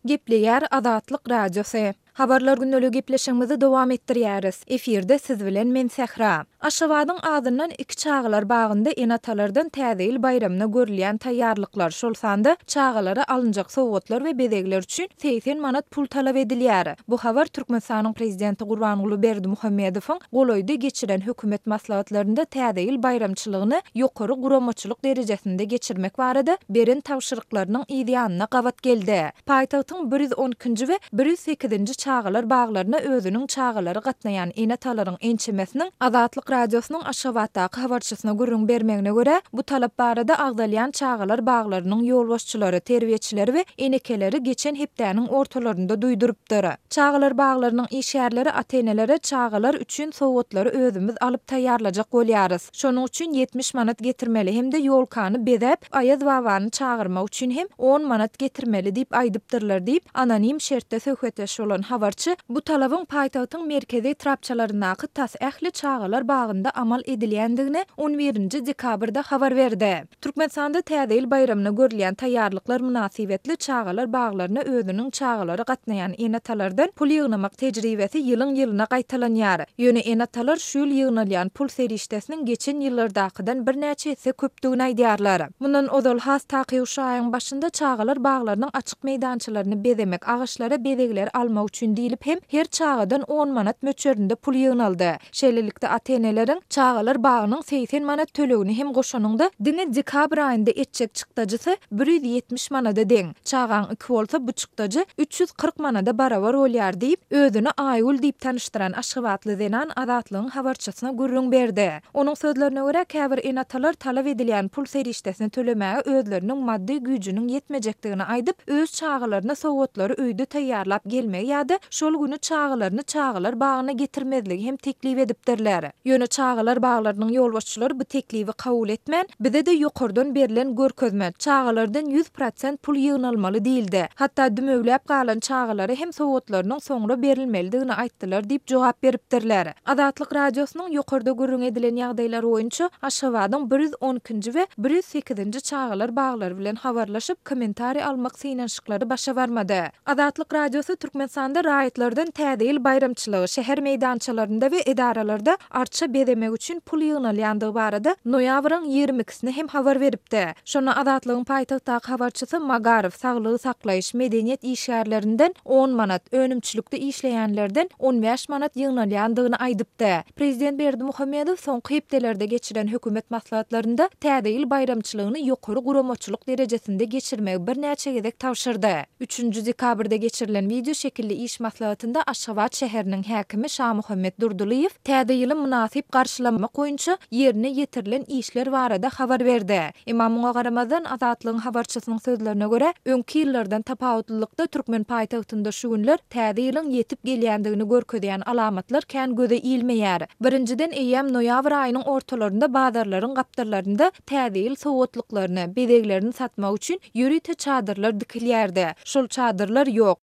Gepleýär Azatlyk Radiosy. Habarlar gündeligi gepleşigimizi dowam etdirýäris. Efirde siz bilen men Sähra. Aşgabadyň azyndan iki çagalar bagynda ene-atalardan Täze ýyl baýramyna görülýän taýýarlyklar, şol sanda çagalara alynjak sowgatlar we bezegler üçin 80 manat pul talap edilýär. Bu habar Türkmenistanyň Prezidenti Gurbanguly Berdimuhamedowyň golaýda geçiren hökümet maslahatlarynda Täze ýyl baýramçylygyny ýokary guramaçylyk derejesinde geçirmek barada beren tabşyryklarynyň yzýanyna gabat geldi. Paýtagtyň 112-nji we 108-nji çagalar baglaryna özüniň çagalary gatnaýan ene-atalaryň ençemesiniň Azatlyk Radiosynyň Aşgabatdaky habarçysyna gürrüň bermegine görä, bu talap barada agzalýan çagalar baglarynyň ýolbaşçylary, terbiýeçileri we enekeleri geçen hepdäniň ortalarynda duýdurypdyr. Çagalar baglarynyň işgärleri ata-enelere çagalar üçin sowgatlary özümiz alyp taýýarlajak bolýarys. Şonuň üçin 70 manat getirmeli hem-de ýolkany bezäp, Aýaz babany çagyrmak üçin hem on manat getirmeli diýip aýdypdyrlar diýip, anonim şertde söhbetdeş bolan habarçy bu talabyň paýtagtyň merkezi etrapçalaryndaky tas ähli çagalar bagynda amal edilýändigini on birinji dekabrda habar berdi. Türkmenistanda Täze ýyl baýramyna görülýän taýýarlyklar mynasybetli çagalar baglaryna özüniň çagalary gatnaýan ene-atalardan pul ýygnamak tejribesi ýylyň-ýylyna gaýtalanýar. Ýöne ene-atalar şu ýyl ýygnalýan pul serişdesiniň geçen ýyllardakydan birnäçe esse köpdügini aýdýarlar. Mundan ozal, has takygy şu aýyň başynda çagalar baglarynyň açyk meýdançalaryny bezemek, agaçlara bezegleri almak üçin diýlip hem her çagadan on manat möçberinde pul ýygnaldy. Şeýlelikde, ata-eneleriň çagalar bagynyň 80 manat tölegini hem goşanyňda, diňe dekabr aýynda etjek çykdajysy 170 manada deň. Çagaň iki bolsa, bu çykdajy 340 manada barabar bolýar diýip, özüni Aýgül diýip tanyşdyran aşgabatly zenan Azatlygyň habarçysyna gürrüň berdi. Onuň sözlerine görä, käbir ene-atalar talap edilýän pul serişdesini tölemäge özleriniň maddy güýjüniň ýetmejekdigini aýdyp, öz çagalaryna sowgatlary öýde taýýarlap gelmegi ýa-da şol güni çagalaryny çagalar bagyna getirmezligi hem teklip edipdirler. Ýöne çagalar baglarynyň ýolbaşçylary bu teklibi kabul etmän, bize-de ýokardan berlen görkezme, çagalardan 100% pul ýygnalmaly diýildi. Hatda dümewläp galan çagalara hem sowgatlarynyň soňra berilmelidigini aýtdylar diýip jogap beripdirler. Azatlyk Radiosynyň ýokarda gürrüňi edilen ýagdaýlar boýunça Aşgabadyň 112-nji we 108-nji çagalar baglary bilen habarlaşyp, kommentariý almak synanyşyklary başa barmady. Azatlyk Radiosy Türkmenistanda raýatlardan Täze ýyl baýramçylygy, şäher meýdançalarynda we edaralarda arça bezemek üçin pul ýygnalýandygy barada noýabryň ýigrimi ikisine hem habar beripdi. Şonda Azatlygyň paýtagtdaky habarçysy Magaryf, saglygy saklaýyş, medeniýet işgärlerinden on manat, önümçilikde işleýänlerden 15 manat ýygnalýandygyny aýdypdy. Prezident Berdimuhamedow soňky hepdelerde geçiren hökümet maslahatlarynda Täze ýyl baýramçylygyny ýokary guramaçylyk derejesinde geçirmegi birnäçe gezek tabşyrdy. Üçünji dekabrda geçirilen wideo şekilli iş maslahatynda Aşgabat şäheriniň häkimi Şamuhammet Durdylyýew Täze ýyly mynasyp garşylamak boýunça ýerine ýetirilen işler barada habar berdi. Emma muňa garamazdan, Azatlygyň habarçysynyň sözlerine görä, öňki ýyllardan tapawutlylykda türkmen paýtagtynda şu günler Täze ýylyň ýetip gelýändigini görkezýän alamatlar kän göze ilmeýär. Birinjiden, eýýäm noýabr aýynyň ortalarynda bazarlaryň gapdallarynda Täze ýyl sowgatlyklaryny, bezeglerini satmak üçin ýörite çadyrlar dikilýärdi. Şol çadyrlar ýok.